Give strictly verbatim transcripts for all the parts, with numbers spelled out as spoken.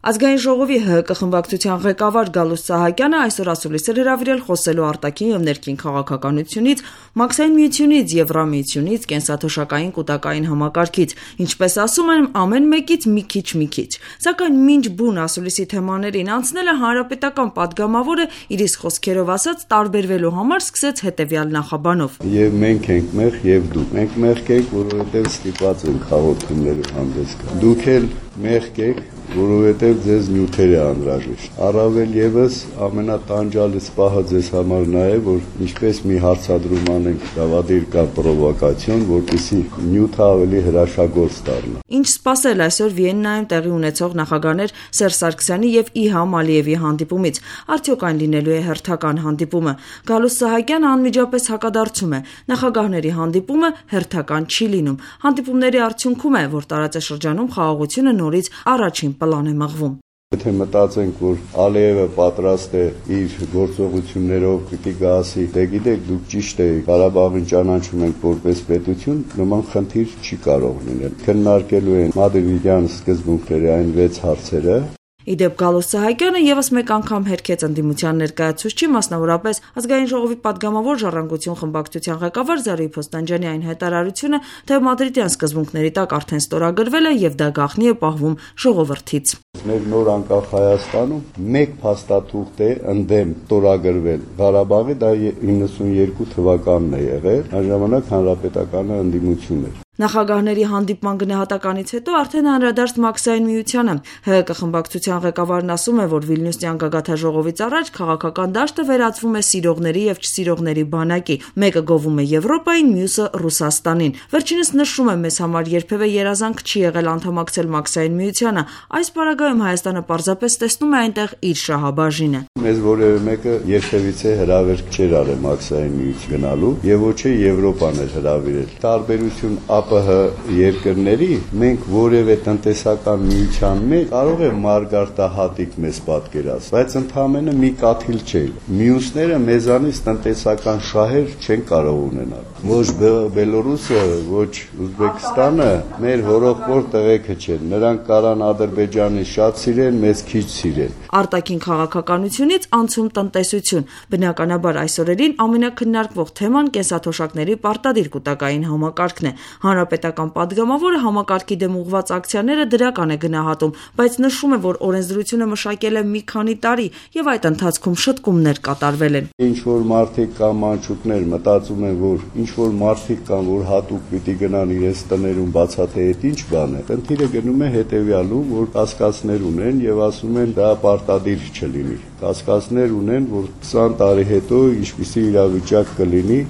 Ազգային ժողովի Հ Հ Կ խմբակցության ղեկավար Գալուստ Սահակյանը այսօր ասուլիս էր հրավիրել խոսելու արտաքին եւ ներքին քաղաքականությունից, Մաքսային միությունից, Եվրամիությունից, կենսաթոշակային կուտակային համակարգից, ինչպես ասում են, ամեն մեկից մի քիչ մի քիչ։ Սակայն մինչ բուն ասուլիսի թեմաներին անցնելը հանրապետական падգամավորը իր իսկ խոսքերով ասած տարբերվելու համար սկսեց հետեւյալ նախաբանով. Եվ մենք ենք մեղ եւ դուք։ Մենք մեղք ենք, որովհետեւ ստիպված ենք հաղորդումներով հանդես գալ։ Դուք էլ մեղք եք, որովհետև ձեզ նյութերը անհրաժեշտ։ Առավել ևս ամենատանջալից պահը ձեզ համար նա է, որ ինչպես մի հարցադրում անենք դավադիր կա պրովոկացիոն, որպեսզի նյութը ավելի հրաշագործ դառնա։ Ինչ սպասել այսօր Վիեննայում տեղի ունեցող նախագահներ Սերժ Սարգսյանի եւ Իլհամ Ալիևի հանդիպումից։ Արդյոք այն լինելու է հերթական հանդիպումը։ Գալուստ Սահակյանը անմիջապես հակադարձում է. նախագահների հանդիպումը հերթական չի լինում։ Հանդիպումների արդյունքում է, որ տարածաշրջանում խաղաղությունը նորից առաջին պլան է մղվում։ Եթե մտածենք, որ Ալիևը պատրաստ է իր գործողություններով պիտի գասի, դե գիտեք, դուք ճիշտ եք, Ղարաբաղին ճանաչում ենք որպես պետություն, նման խնդիր չի կարող լինել։ Քննարկելու են մադրիդյան սկզբունքների այն վեց հարցերը։ Իդեպ Գալուստ Սահակյանը եւս մեկ անգամ հերքեց ընդդիմության ներկայացուցչի, մասնավորապես Ազգային ժողովի падգամավոր Ժառանգություն խմբակցության ղեկավար Զարուհի Փոստանջյանի այն հայտարարությունը, թե մադրիդյան սկզբունքների տակ արդեն ստորագրվել է եւ դա գաղտնի է պահվում ժողովրդից։ Մեր նոր անկախ Հայաստանում մեկ փաստաթուղթ է ընդդեմ ստորագրվել Ղարաբաղի, դա իննսունյերկու թվականն է եղել, այն ժամանակ հանրապետականը ընդդիմություն էր։ Նախագահների հանդիպման գնահատականից հետո արդեն անդրադարձ Մաքսային միությանը։ Հ Հ Կ խմբակցության ղեկավարն ասում է, որ Վիլնյուսյան գագաթնաժողովից առաջ քաղաքական դաշտը վերածվում է սիրողների եւ չսիրողների բանակի։ Մեկը գովում է Եվրոպային, մյուսը Ռուսաստանին։ Վերջինս նշում է, մեզ համար երբևէ երազանք չի եղել անդամակցել Մաքսային միությանը։ Այս պարագայում Հայաստանը պարզապես տեսնում է այնտեղ իր շահաբաժինը։ Մեզ որևէ մեկը երբևիցե հրավերք չէր արել Մաքսային միություն գնալու եւ ոչ է Եվրոպան էր հրավիրել։ Տարբերություն Ա Պ Հ երկրների մենք որևէ տնտեսական միության մեջ կարող է մարգարտահատիկ մեզ պատկերած, բայց ընդհանրապես մի կաթիլ չէ։ Մյուսները մեզանից տնտեսական շահեր չեն կարող ունենալ։ Ոչ Բելորուսը, ոչ Ուզբեկստանը մեր հորողբոր տղեկը չեն։ Նրանք կարան Ադրբեջանի շատ սիրեն, մեզ քիչ սիրեն։ Արտաքին քաղաքականությունից անցում տնտեսություն։ Բնականաբար այս օրերին ամենակննարկվող թեման կենսաթոշակների պարտադիր կուտակային համակարգն է։ Հանրապետական падգամավորը համակարգի դեմ ուղղված ակցիաները դրական է գնահատում, բայց նշում է, որ օրենսդրությունը մշակել է մի քանի տարի եւ այդ ընթացքում շտկումներ կատարվել են։ Ինչ որ մարդիկ կամ մանչուկներ մտածում են, որ ինչ որ մարդիկ կան, որ հատուկ պիտի գնան իրենց տներում բացաթե այդ ինչ բան է։ Խնդիրը գնում է հետեւյալում, որ կասկածներ ունեն եւ ասում են դա պարտադիր չլինի։ Կասկածներ ունեն, որ քսան տարի հետո ինչպիսի իրավիճակ կլինի։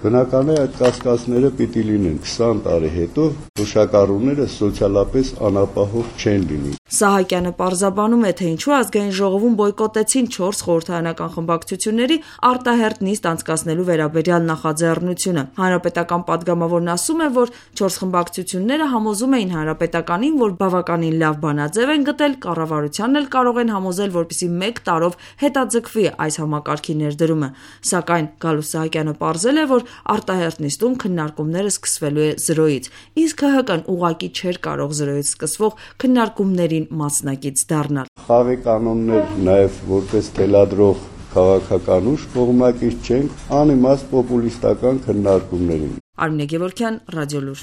Բնական է այդ կասկածները պիտի լինեն քսան տարի հետո թոշակառուները սոցիալապես անապահով չեն լինի։ Սահակյանը պարզաբանում է, թե ինչու Ազգային ժողովում բոյկոտեցին չորս խորհրդարանական խմբակցությունների արտահերթ նիստ անցկացնելու վերաբերյալ նախաձեռնությունը։ Հանրապետական падգամավորն ասում է, որ չորս խմբակցությունները համոզում էին հանրապետականին, որ բավականին լավ բանաձև են գտել, կառավարությանն էլ կարող են համոզել, որպեսզի մեկ տարով հետաձգվի այս համակարգի ներդրումը։ Սակայն Գալուստ Սահակյանը պարզել է, որ արտահերթ նիստում քննարկումները սկսվելու է զրոյից, իսկ Հ Հ Կ-ն ուղղակի չէր կարող զրոյից սկսվող քննարկումներին մասնակից դառնալ։ Խաղի կանոններ նաև որպես թելադրող քաղաքական ուժ կողմնակից չենք անիմաստ պոպուլիստական քննարկումներին։ Արմինե Գևորգյան, Ռադիոլուր։